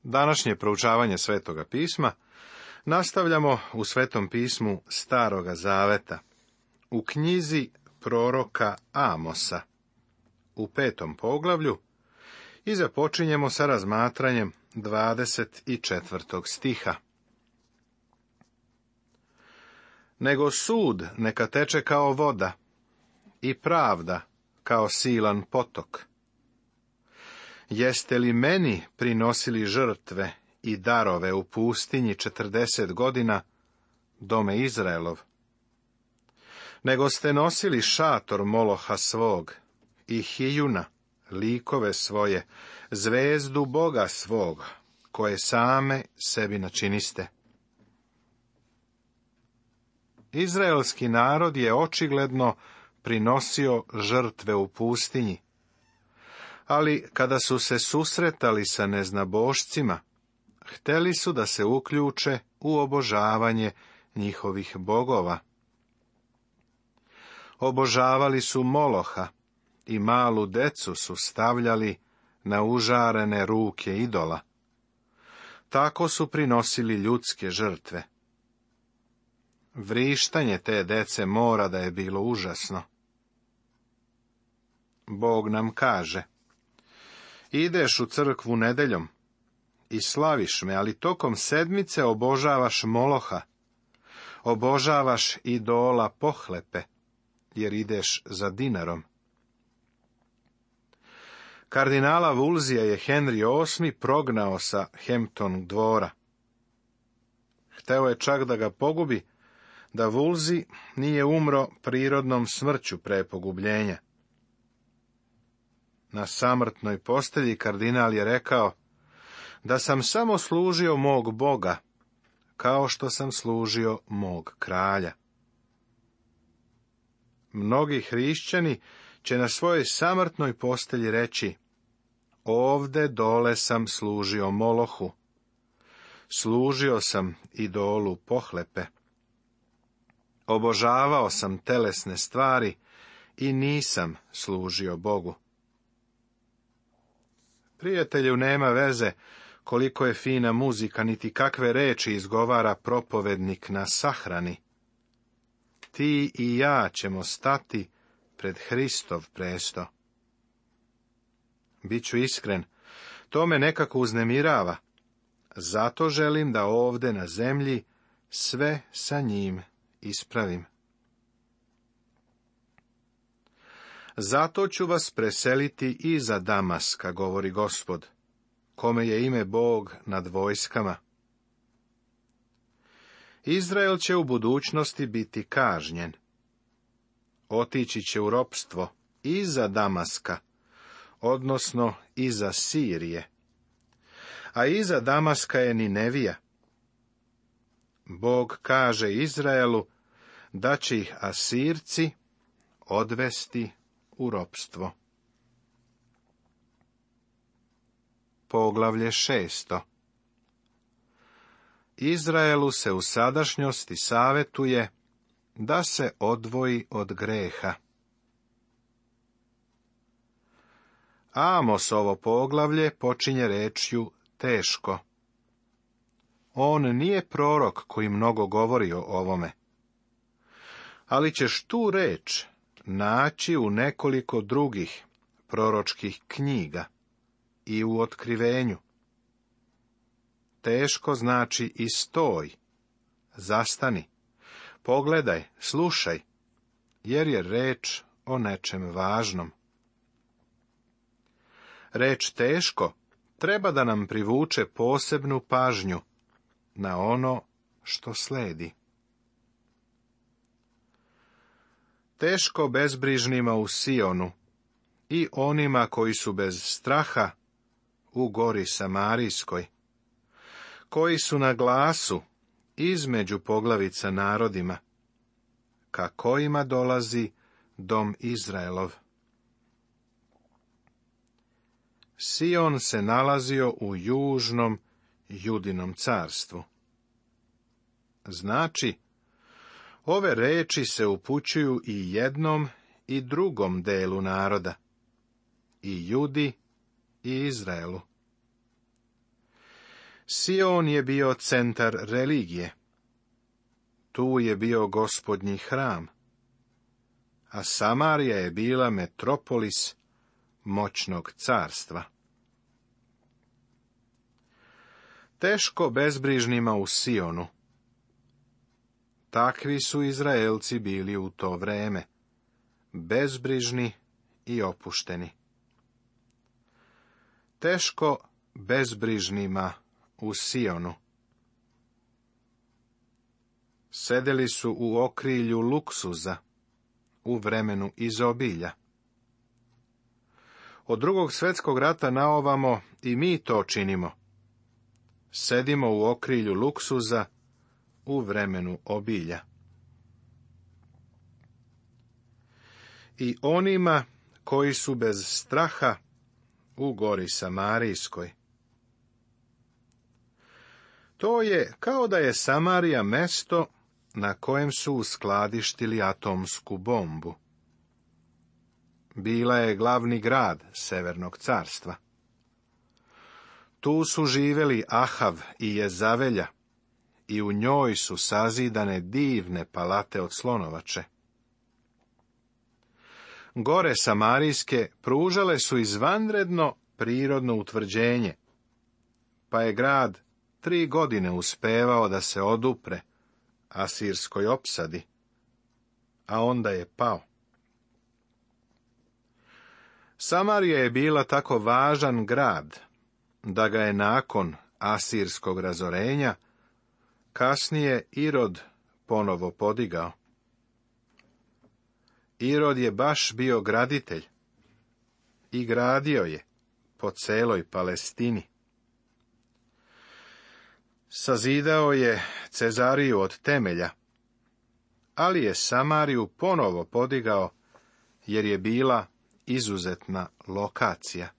Današnje proučavanje Svetoga pisma nastavljamo u Svetom pismu Staroga zaveta, u knjizi proroka Amosa, u 5. poglavlju, i započinjemo sa razmatranjem 24. stiha. Nego sud neka teče kao voda i pravda kao silan potok. Jeste li meni prinosili žrtve i darove u pustinji 40 godina, dome Izraelov? Nego ste nosili šator Moloha svog i Hijuna, likove svoje, zvezdu Boga svog, koje same sebi načiniste. Izraelski narod je očigledno prinosio žrtve u pustinji, ali kada su se susretali sa neznabošcima, hteli su da se uključe u obožavanje njihovih bogova. Obožavali su Moloha i malu decu su stavljali na užarene ruke idola. Tako su prinosili ljudske žrtve. Vrištanje te dece mora da je bilo užasno. Bog nam kaže: ideš u crkvu nedeljom i slaviš me, ali tokom sedmice obožavaš Moloha, obožavaš idola pohlepe, jer ideš za dinarom. Kardinala Woolseya je Henry VIII prognao sa Hampton dvora. Hteo je čak da ga pogubi, da Wolsey nije umro prirodnom smrću pre pogubljenja. Na samrtnoj postelji kardinal je rekao da sam samo služio mog Boga, kao što sam služio mog kralja. Mnogi hrišćani će na svojoj samrtnoj postelji reći: ovde dole sam služio Molohu, služio sam idolu pohlepe, obožavao sam telesne stvari i nisam služio Bogu. Prijatelju, nema veze koliko je fina muzika, niti kakve reči izgovara propovednik na sahrani. Ti i ja ćemo stati pred Hristov presto. Biću iskren, to me nekako uznemirava, zato želim da ovde na zemlji sve sa njim ispravim. Zato ću vas preseliti iza Damaska, govori Gospod, kome je ime Bog nad vojskama. Izrael će u budućnosti biti kažnjen. Otići će u ropstvo iza Damaska, odnosno iza Sirije. A iza Damaska je Ninevija. Bog kaže Izraelu da će ih Asirci odvesti u ropstvo. Poglavlje 6. Izraelu se u sadašnjosti savetuje da se odvoji od greha. Amosovo poglavlje počinje rečju teško. On nije prorok koji mnogo govori o ovome, ali ćeš tu reč naći u nekoliko drugih proročkih knjiga i u Otkrivenju. Teško znači i stoj, zastani, pogledaj, slušaj, jer je reč o nečem važnom. Reč teško treba da nam privuče posebnu pažnju na ono što sledi. Teško bezbrižnima u Sionu i onima koji su bez straha u gori Samarijskoj, koji su na glasu između poglavica narodima, ka kojima dolazi dom Izraelov. Sion se nalazio u južnom Judinom carstvu. Znači, ove reči se upućuju i jednom i drugom delu naroda, i Judi i Izraelu. Sion je bio centar religije. Tu je bio Gospodnji hram, a Samarija je bila metropolis moćnog carstva. Teško bezbrižnima u Sionu. Takvi su Izraelci bili u to vreme, bezbrižni i opušteni. Teško bezbrižnima u Sionu. Sedeli su u okrilju luksuza, u vremenu izobilja. Od Drugog svjetskog rata naovamo i mi to činimo. Sedimo u okrilju luksuza, u vremenu obilja. I onima koji su bez straha u gori Samarijskoj. To je kao da je Samarija mesto na kojem su uskladištili atomsku bombu. Bila je glavni grad Severnog carstva. Tu su živjeli Ahav i Jezavelja i u njoj su sazidane divne palate od slonovače. Gore Samarijske pružale su izvanredno prirodno utvrđenje, pa je grad 3 godine uspevao da se odupre asirskoj opsadi, a onda je pao. Samarija je bila tako važan grad, da ga je nakon asirskog razorenja kasnije Irod ponovo podigao. Irod je baš bio graditelj i gradio je po celoj Palestini. Sazidao je Cezariju od temelja, ali je Samariju ponovo podigao jer je bila izuzetna lokacija.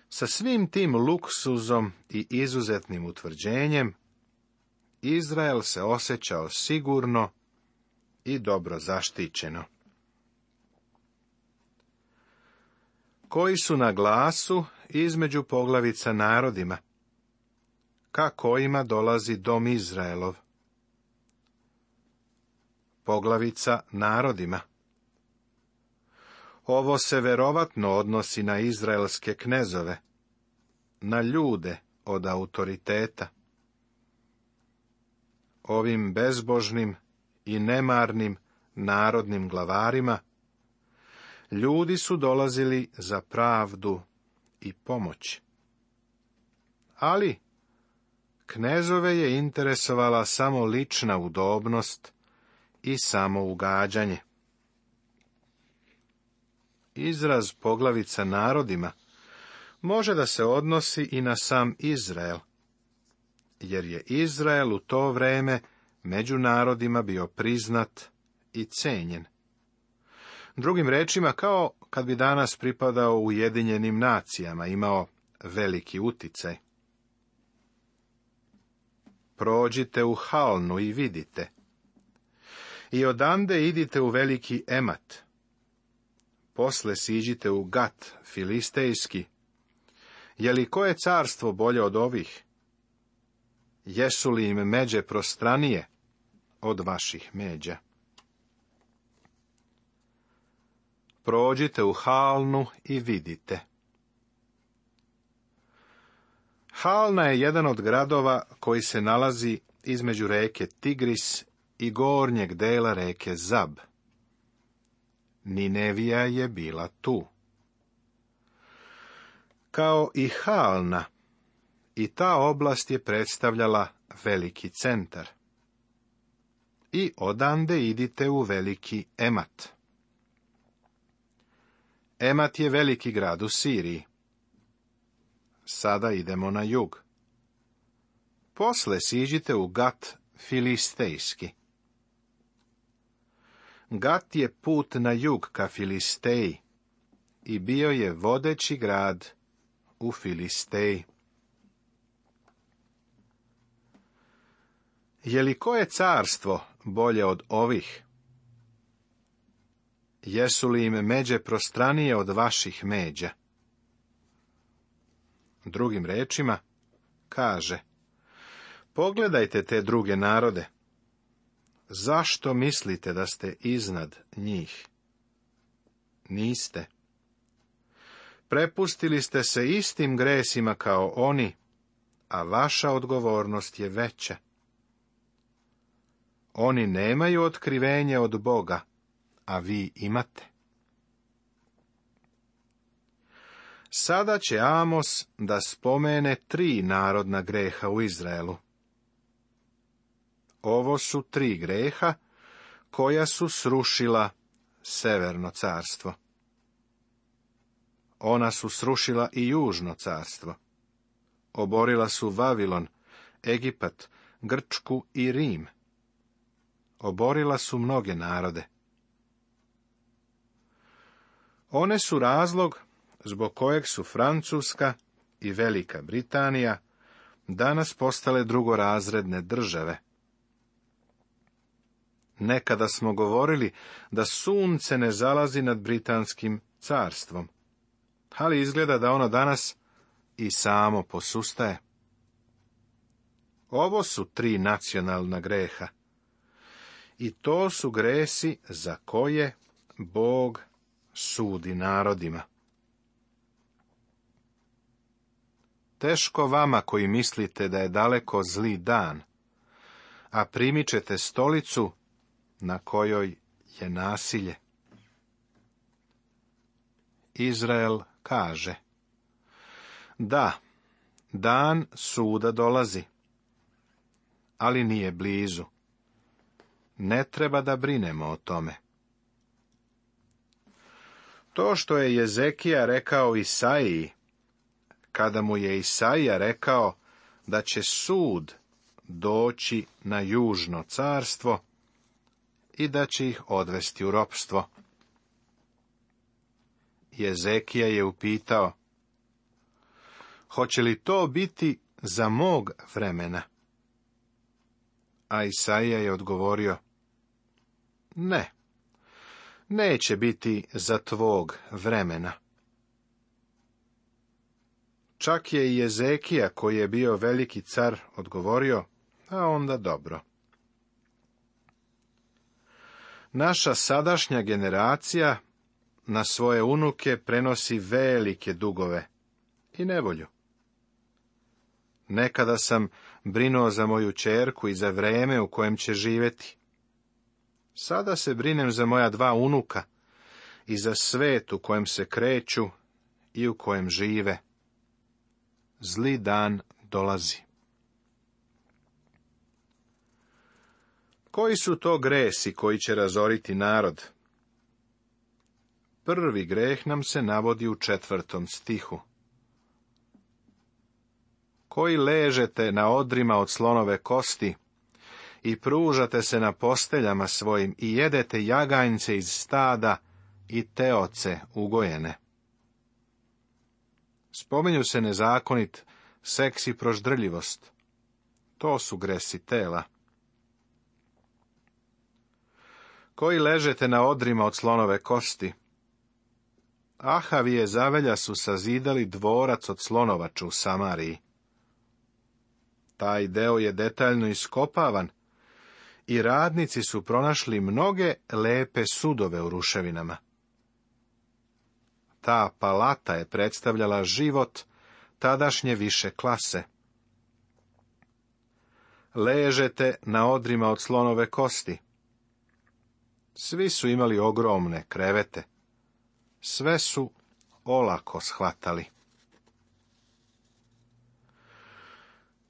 Sa svim tim luksuzom i izuzetnim utvrđenjem, Izrael se osjećao sigurno i dobro zaštićeno. Koji su na glasu između poglavica narodima, ka kojima dolazi dom Izraelov. Poglavica narodima. Ovo se verovatno odnosi na izraelske knezove, na ljude od autoriteta. Ovim bezbožnim i nemarnim narodnim glavarima ljudi su dolazili za pravdu i pomoć. Ali knezove je interesovala samo lična udobnost i samougađanje. Izraz poglavica narodima može da se odnosi i na sam Izrael, jer je Izrael u to vreme među narodima bio priznat i cenjen. Drugim rečima, kao kad bi danas pripadao Ujedinjenim nacijama, imao veliki uticaj. Prođite u Halnu i vidite. I odande idite u veliki Emat. Posle siđite u Gat filistejski. Je li koje carstvo bolje od ovih? Jesu li im međe prostranije od vaših međa? Prođite u Halnu i vidite. Halna je jedan od gradova koji se nalazi između reke Tigris i gornjeg dela reke Zab. Ninevija je bila tu. Kao i Halna, i ta oblast je predstavljala veliki centar. I odande idite u veliki Emat. Emat je veliki grad u Siriji. Sada idemo na jug. Posle siđite u Gat filistejski. Gat je put na jug ka Filisteji i bio je vodeći grad u Filisteji. Je li koje carstvo bolje od ovih? Jesu li im međe prostranije od vaših međa? Drugim rečima, kaže: pogledajte te druge narode. Zašto mislite da ste iznad njih? Niste. Prepustili ste se istim gresima kao oni, a vaša odgovornost je veća. Oni nemaju otkrivenje od Boga, a vi imate. Sada će Amos da spomene 3 narodna greha u Izraelu. Ovo su 3 greha koja su srušila Severno carstvo. Ona su srušila i Južno carstvo. Oborila su Vavilon, Egipat, Grčku i Rim. Oborila su mnoge narode. One su razlog zbog kojeg su Francuska i Velika Britanija danas postale drugorazredne države. Nekada smo govorili da sunce ne zalazi nad Britanskim carstvom, ali izgleda da ono danas i samo posustaje. Ovo su 3 nacionalna greha. I to su gresi za koje Bog sudi narodima. Teško vama koji mislite da je daleko zli dan, a primičete stolicu na kojoj je nasilje. Izrael kaže: da, dan suda dolazi, ali nije blizu. Ne treba da brinemo o tome. To što je Jezekija rekao Isaiji, kada mu je Isaija rekao da će sud doći na Južno carstvo i da će ih odvesti u ropstvo. Jezekija je upitao: hoće li to biti za mog vremena? A Isaija je odgovorio: ne, neće biti za tvog vremena. Čak je i Jezekija, koji je bio veliki car, odgovorio: a onda dobro. Naša sadašnja generacija na svoje unuke prenosi velike dugove i nevolju. Nekada sam brinuo za moju ćerku i za vreme u kojem će živjeti. Sada se brinem za moja 2 unuka i za svet u kojem se kreću i u kojem žive. Zli dan dolazi. Koji su to gresi koji će razoriti narod? Prvi greh nam se navodi u 4. stihu. Koji ležete na odrima od slonove kosti i pružate se na posteljama svojim i jedete jaganjce iz stada i teoce ugojene. Spominju se nezakonit seks i proždrljivost. To su gresi tela. Koji ležete na odrima od slonove kosti. Ahavije zavelja su sazidali dvorac od slonovača u Samariji. Taj deo je detaljno iskopavan i radnici su pronašli mnoge lepe sudove u ruševinama. Ta palata je predstavljala život tadašnje više klase. Ležete na odrima od slonove kosti. Svi su imali ogromne krevete. Sve su olako shvatali.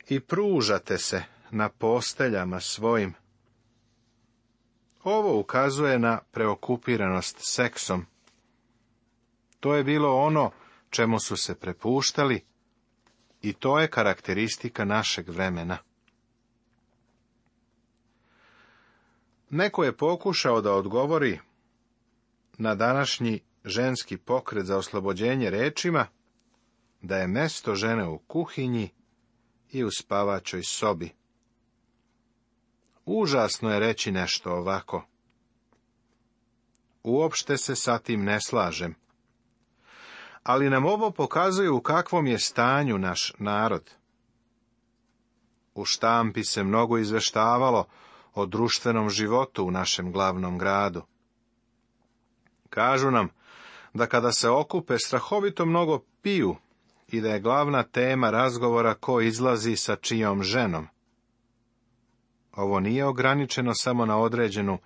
I pružate se na posteljama svojim. Ovo ukazuje na preokupiranost seksom. To je bilo ono čemu su se prepuštali i to je karakteristika našeg vremena. Neko je pokušao da odgovori na današnji ženski pokret za oslobođenje rečima da je mesto žene u kuhinji i u spavačoj sobi. Užasno je reći nešto ovako. Uopšte se sa tim ne slažem. ali nam ovo pokazuje u kakvom je stanju naš narod. U štampi se mnogo izveštavalo o društvenom životu u našem glavnom gradu. Kažu nam da kada se okupe strahovito mnogo piju i da je glavna tema razgovora ko izlazi sa čijom ženom. Ovo nije ograničeno samo na određenu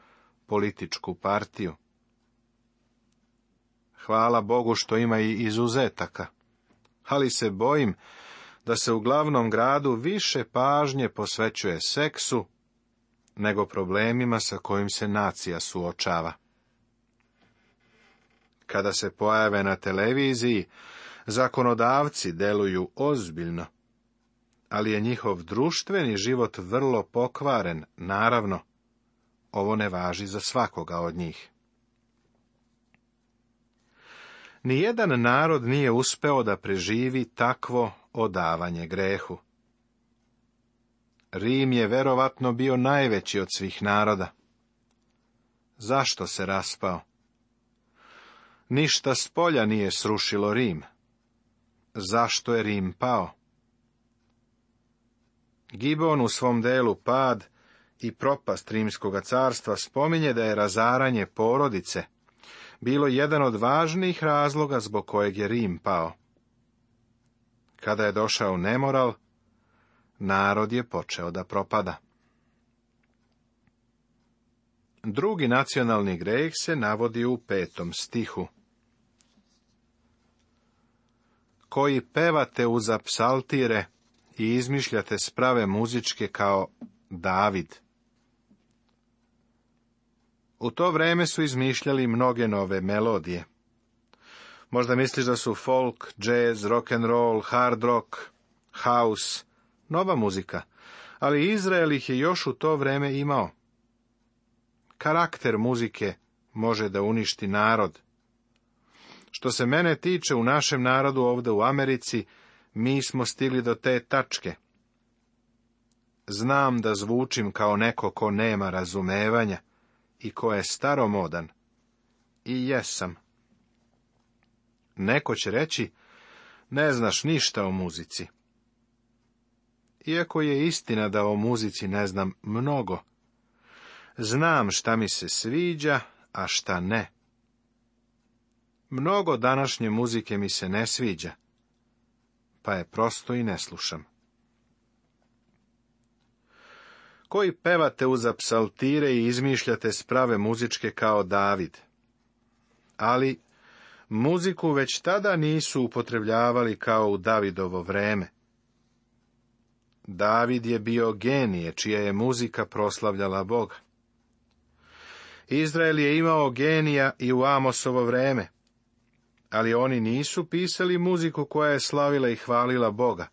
političku partiju. Hvala Bogu što ima i izuzetaka, ali se bojim da se u glavnom gradu više pažnje posvećuje seksu nego problemima sa kojim se nacija suočava. Kada se pojave na televiziji, zakonodavci deluju ozbiljno, ali je njihov društveni život vrlo pokvaren, naravno. Ovo ne važi za svakoga od njih. Nijedan narod nije uspeo da preživi takvo odavanje grehu. Rim je verovatno bio najveći od svih naroda. Zašto se raspao? Ništa spolja nije srušilo Rim. Zašto je Rim pao? Gibon u svom delu Pad i propast Rimskoga carstva spominje da je razaranje porodice bilo jedan od važnijih razloga zbog kojeg je Rim pao. Kada je došao nemoral, narod je počeo da propada. Drugi nacionalni greh se navodi u 5. stihu. Koji pevate uza psaltire i izmišljate sprave muzičke kao David. U to vreme su izmišljali mnoge nove melodije. Možda misliš da su folk, jazz, rock and roll, hard rock, house, nova muzika, ali Izrael ih je još u to vreme imao. Karakter muzike može da uništi narod. Što se mene tiče, u našem narodu ovdje u Americi, mi smo stigli do te tačke. Znam da zvučim kao neko ko nema razumevanja i ko je staromodan. I jesam. Neko će reći, ne znaš ništa o muzici. Iako je istina da o muzici ne znam mnogo, znam šta mi se sviđa, a šta ne. Mnogo današnje muzike mi se ne sviđa, pa je prosto i ne slušam. Koji pevate uza psaltire i izmišljate sprave muzičke kao David. Ali muziku već tada nisu upotrebljavali kao u Davidovo vreme. David je bio genije, čija je muzika proslavljala Boga. Izrael je imao genija i u Amosovo vreme, ali oni nisu pisali muziku koja je slavila i hvalila Boga.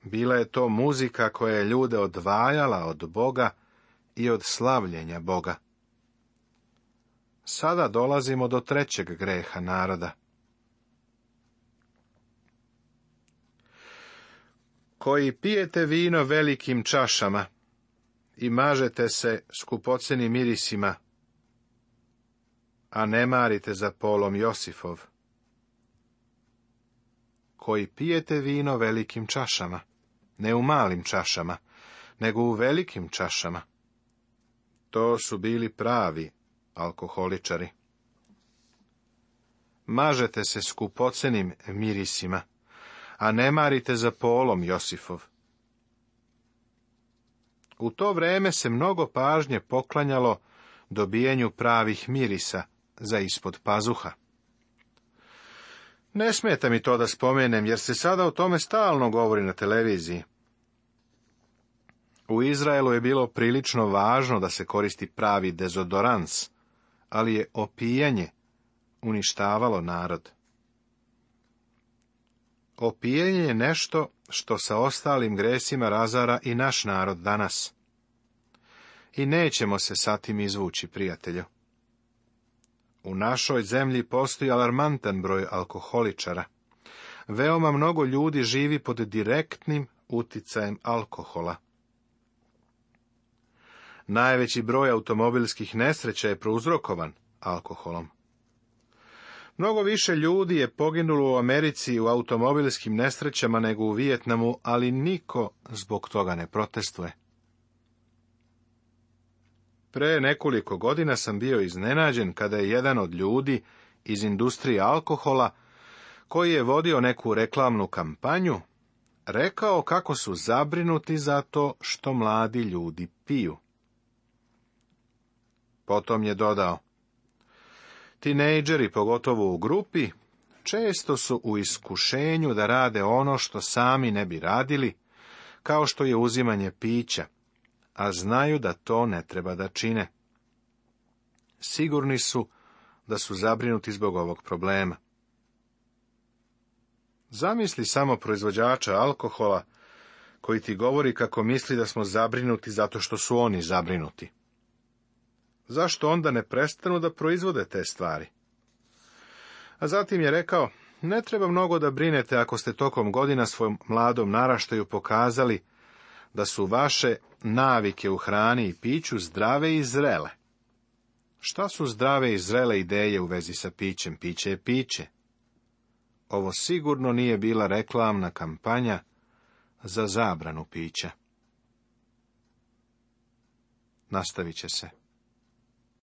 Bila je to muzika koja je ljude odvajala od Boga i od slavljenja Boga. Sada dolazimo do 3. greha naroda. Koji pijete vino velikim čašama i mažete se skupocenim mirisima, a ne marite za polom Josifov. Koji pijete vino velikim čašama, ne u malim čašama, nego u velikim čašama. To su bili pravi alkoholičari. Mažete se skupocenim mirisima, a ne marite za polom Josifov. U to vreme se mnogo pažnje poklanjalo dobijanju pravih mirisa za ispod pazuha. Ne smeta mi to da spomenem, jer se sada o tome stalno govori na televiziji. U Izraelu je bilo prilično važno da se koristi pravi dezodorans, ali je opijanje uništavalo narod. Opijanje je nešto što sa ostalim gresima razara i naš narod danas. I nećemo se sa tim izvući, prijatelju. U našoj zemlji postoji alarmantan broj alkoholičara. Veoma mnogo ljudi živi pod direktnim uticajem alkohola. Najveći broj automobilskih nesreća je prouzrokovan alkoholom. Mnogo više ljudi je poginulo u Americi u automobilskim nesrećama nego u Vijetnamu, ali niko zbog toga ne protestuje. Pre nekoliko godina sam bio iznenađen kada je jedan od ljudi iz industrije alkohola, koji je vodio neku reklamnu kampanju, rekao kako su zabrinuti zato što mladi ljudi piju. Potom je dodao: tinejdžeri, pogotovo u grupi, često su u iskušenju da rade ono što sami ne bi radili, kao što je uzimanje pića, a znaju da to ne treba da čine. Sigurni su da su zabrinuti zbog ovog problema. Zamisli samo proizvođača alkohola koji ti govori kako misli da smo zabrinuti zato što su oni zabrinuti. Zašto onda ne prestanu da proizvode te stvari? A zatim je rekao: ne treba mnogo da brinete ako ste tokom godina svojom mladom naraštaju pokazali da su vaše navike u hrani i piću zdrave i zrele. Šta su zdrave i zrele ideje u vezi sa pićem? Piće je piće. Ovo sigurno nije bila reklamna kampanja za zabranu pića. Nastavit će se.